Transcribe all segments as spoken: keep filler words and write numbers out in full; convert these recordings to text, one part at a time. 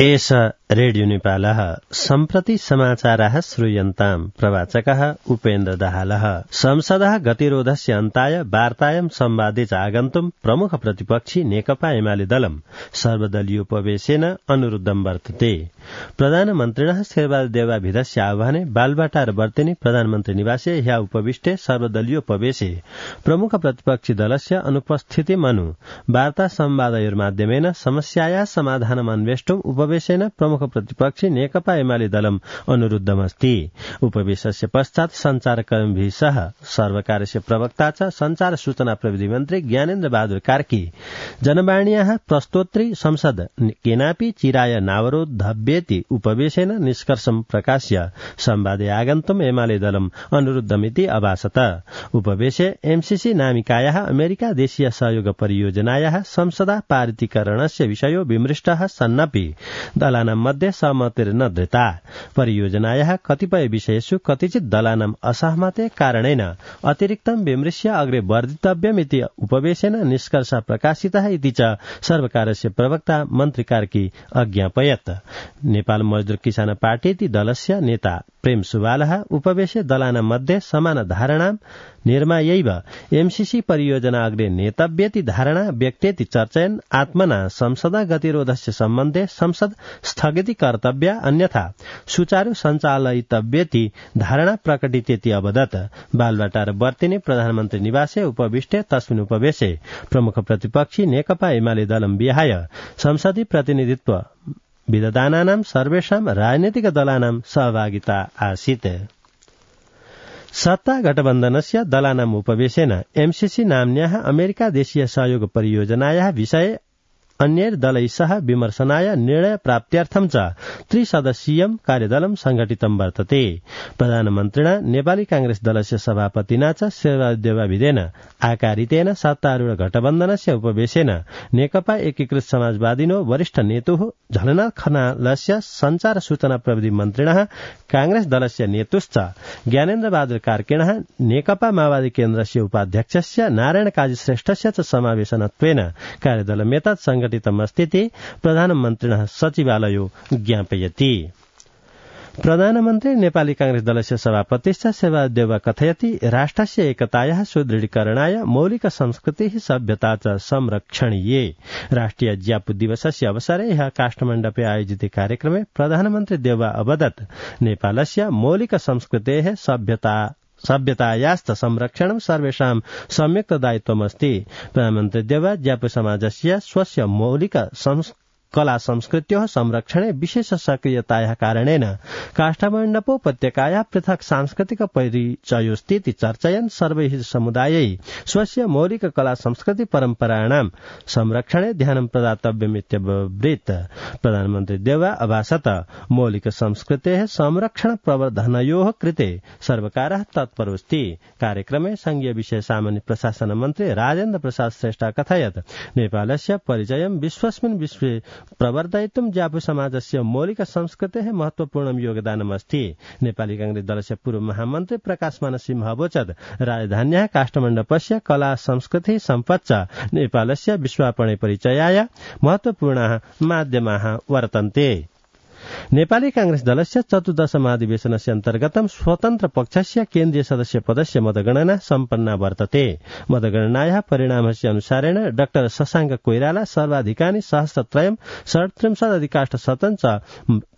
एष रेडियो नेपालः सम्प्रति समाचाराः श्रूयन्ताम् प्रवाचकः उपेन्द्र दाहालः। संसदः गतिरोधस्य अन्ताय वार्तायां संवादे च आगन्तुम् प्रमुख प्रतिपक्षी नेकपा एमाले दलम् सर्वदलीयोपवेशेन अनुरुद्धं वर्तते। प्रधानमन्त्रिणः शेरबहादुर आह्वाने बालबाटार वर्तिनी प्रधानमन्त्री निवासे ह्य उपविष्टे सर्वदलीयोपवेशे प्रमुख प्रतिपक्षी दलस्य अनुपस्थितिमनु वार्ता संवादयोर्माध्यमेन समस्यायाः समाधानम् अन्वेष्टुम् उपवेशेन प्रमुख प्रतिपक्षी नेकपा एमाले दलम् अनुरुद्धमस्ति। उपवेशस्य पश्चात् सञ्चारकर्मीभिः सह सर्वकारस्य प्रवक्ता च संचार सूचना प्रविधि मन्त्री ज्ञानेन्द्र बहादुर कार्की जनवाण्याः प्रस्तोत्री संसद केनापि चिराय नावरोधव्येति उपवेशेन निष्कर्षं प्रकाश्य संवादे आगन्तुम् एमाले दलम् अनुरुद्धमिति अभासत। उपवेशे एमसीसी नामिकायाः अमेरिका देशीय सहयोग परियोजनायाः संसदा पारितीकरणस्य विषयो विमृष्टः सन्नपि दलानां मध्ये सहमतिर्न धृता। परियोजनायाः कतिपय विषयेषु कतिचित् दलानाम् असहमते कारणेन अतिरिक्तं विमृश्य अग्रे वर्धितव्यमिति उपवेशेन निष्कर्षः प्रकाशितः इति च सर्वकारस्य प्रवक्ता मन्त्री कार्की अज्ञापयत्। नेपाल मजदूर किसान पार्टी दलस्य नेता प्रेम सुवालः उपवेशे दलानां मध्ये समान धारणां निर्मायैव एमसीसी परियोजना अग्रे नेतव्येति धारणा व्यक्तेति चर्चयन् आत्मना संसदा गतिरोधस्य सम्बन्धे संसद स्थगिती कर्तव्या अन्यथा सुचारू सञ्चालयितव्येति धारणा प्रकटितेति अवदत्। बालबाटार वर्तिने प्रधानमन्त्री निवासे उपविष्टे तस्मिन् उपवेशे प्रमुख प्रतिपक्षी नेकपा एमाले दलं विहाय संसदीय प्रतिनिधित्व विदधानानां सर्वेषां राजनैतिक दलानां सहभागिता आसीत्। सत्ता गठबन्धनस्य दलानाम् उपवेशेन एमसीसी नाम्न्याः अमेरिका देशीय सहयोग परियोजनायाः विषये अन्यैर्दलैः सह विमर्शनाय निर्णय प्राप्त्यर्थं च त्रिसदस्यीयं कार्यदलं संघटितं वर्तते। प्रधानमन्त्रिणा नेपाली कांग्रेस दलस्य सभापतिना च शेरबहादुर आकारितेन सत्तारूढ गठबन्धनस्य उपवेशेन नेकपा एकीकृत समाजवादिनो वरिष्ठ नेतुः झलनाथ खनालस्य संचार सूचना प्रविधि मन्त्रिणः कांग्रेस दलस्य नेतुश्च ज्ञानेन्द्र बहादुर कार्किणः नेकपा माओवादी केन्द्रस्य उपाध्यक्षस्य नारायण काजी श्रेष्ठस्य च समावेशनत्वेन कार्यदलमेतत् संघटितमस्तीति प्रधानमन्त्रिणः सचिवालयो ज्ञापयति। प्रधानमन्त्री नेपाली कांग्रेस दलस्य सभापतिश्च शेरबहादुर कथयति राष्ट्रस्य एकतायाः सुदृढीकरणाय मौलिक संस्कृतिः सभ्यता च संरक्षणीये। राष्ट्रिय ज्यापु दिवसस्य अवसरे ह्यः काष्ठमण्डपे आयोजिते कार्यक्रमे प्रधानमन्त्री देउवा अवदत् नेपालस्य मौलिक संस्कृतेः सभ्यता सभ्यतायाश्च संरक्षणं सर्वेषां संयुक्त दायित्वमस्ति। प्रधानमन्त्री देउवा ज्यापु समाजस्य स्वस्य मौलिक कला संस्कृत्योः संरक्षणे विशेष सक्रियतायाः कारणेन काष्ठमण्डपोपत्यकायाः पृथक् सांस्कृतिक परिचयोस्तीति चर्चयन् सर्वैः समुदायैः स्वस्य मौलिक कला संस्कृति परम्पराणां संरक्षणे ध्यानं प्रदातव्यमित्यब्रवीत्। प्रधानमन्त्री देउवा अभासत मौलिक संस्कृतेः संरक्षण प्रवर्धनयोः कृते सर्वकारः तत्परोऽस्ति। कार्यक्रमे संघीय विषय सामान्य प्रशासन मन्त्री राजेन्द्र प्रसाद श्रेष्ठ कथयत् नेपालस्य परिचयं विश्वस्मिन् विश्वे प्रवर्धयितुं ज्यापु समाजस्य मौलिक संस्कृतेः महत्वपूर्णं योगदानमस्ति। नेपाली कांग्रेस दलस्य पूर्व महामन्त्री प्रकाश मानसिंह अवोचत् राजधान्याः काष्ठमण्डपस्य कला संस्कृतिः सम्पच्च नेपालस्य विश्वापणे परिचयाय महत्वपूर्णाः माध्यमाः वर्तन्ते। नेपाली कांग्रेस दलस्य चतुर्दश महाधिवेशनस्य अन्तर्गतं स्वतन्त्र पक्षस्य केन्द्रीय सदस्य पदस्य मतगणना सम्पन्ना वर्तते। मतगणनायाः परिणामस्य अनुसारेण डाक्टर शशाङ्क कोइराला सर्वाधिकानि सहस्रत्रयं षड्त्रिंशत् अधिकाष्ट शतं च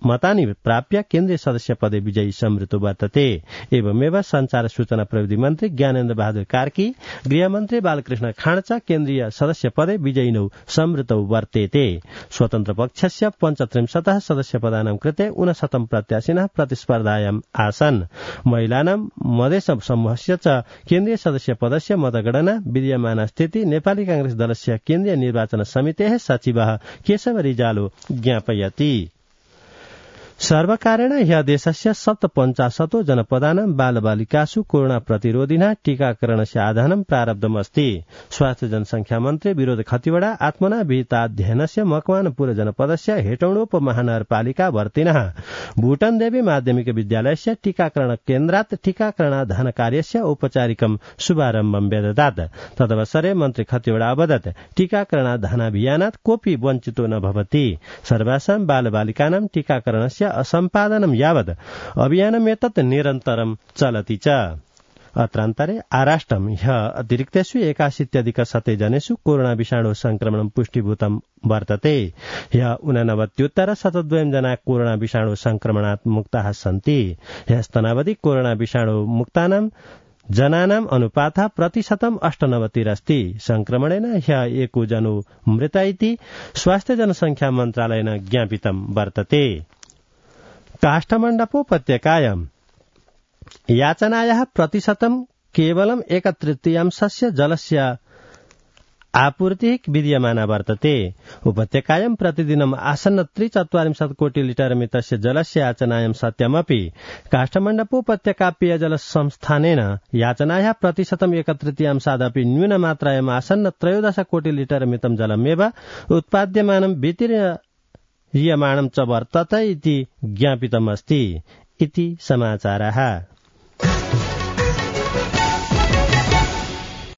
मतानि प्राप्य केन्द्रीय सदस्य पदे विजयी संवृतो वर्तते। एवमेव संचार सूचना प्रविधि मन्त्री ज्ञानेन्द्र बहादुर कार्की गृहमन्त्री बालकृष्ण खाँड च केन्द्रीय सदस्य पदे विजयिनौ संवृतौ वर्तेते। स्वतन्त्र पक्षस्य पञ्चत्रिंशतः सदस्य पदानां कृते ऊनशतं प्रत्याशिनः प्रतिस्पर्धायाम् आसन्। महिलानां मधेश समूहस्य च केन्द्रीय सदस्य पदस्य मतगणना विद्यमानस्थिति नेपाली कांग्रेस दलस्य केन्द्रीय निर्वाचन समितेः सचिवः केशव रिजालो ज्ञापयति। सर्वकारेण ह्यः देशस्य सप्तपञ्चाशतो जनपदानां बालबालिकासु कोरोना प्रतिरोधिना टीकाकरणस्य आधानं प्रारब्धमस्ति। स्वास्थ्य जनसंख्या मन्त्री विनोद खतिवड़ा आत्मना विहिताध्ययनस्य मकवानपुर जनपदस्य हेटौडोप महानगरपालिका वर्तिनः भूटन देवी माध्यमिक विद्यालयस्य टीकाकरण केन्द्रात् टीकाकरणाधान कार्यस्य औपचारिकं शुभारम्भं व्यददात्। तदवसरे मन्त्री खतिवड़ा अवदत् टीकाकरणाधानाभियानात् कोऽपि वञ्चितो न भवति। सर्वासां बालबालिकानां टीकाकरणस्य असम्पादनं यावत् अभियानमेतत् निरन्तरं चलति च। अत्रान्तरे आराष्ट्रं ह्यः अतिरिक्तेषु एकाशीत्यधिक शते जनेषु कोरोना विषाणु संक्रमणं पुष्टिभूतं वर्तते। ह्यः ऊननवत्युत्तर शतद्वयं जना कोरोना विषाणु संक्रमणात् मुक्ताः सन्ति। ह्यस्तनावधि कोरोना विषाणु मुक्तानां जनानाम् अनुपातः प्रतिशतम् अष्टनवतिरस्ति। संक्रमणेन ह्यः एको जनो मृत इति स्वास्थ्य जनसंख्या मन्त्रालयेन ज्ञापितं वर्तते। काष्ठमण्डपोपत्यकायां याचनायाः प्रतिशतं केवलम् एकतृतीयांशस्य जलस्य आपूर्तिः विद्यमाना वर्तते। उपत्यकायां प्रतिदिनम् आसन्न त्रिचत्वारिंशत् कोटि लिटर मितस्य जलस्य याचनायां सत्यमपि काष्ठमण्डपोपत्यका पेयजल संस्थानेन याचनायाः प्रतिशतम् एकतृतीयांशादपि न्यूनमात्रायाम् आसन्न त्रयोदश कोटि लिटर मितं जलमेव उत्पाद्यमानं वितीर्यमाणं च वर्तते इति ज्ञापितमस्ति इति समाचारः।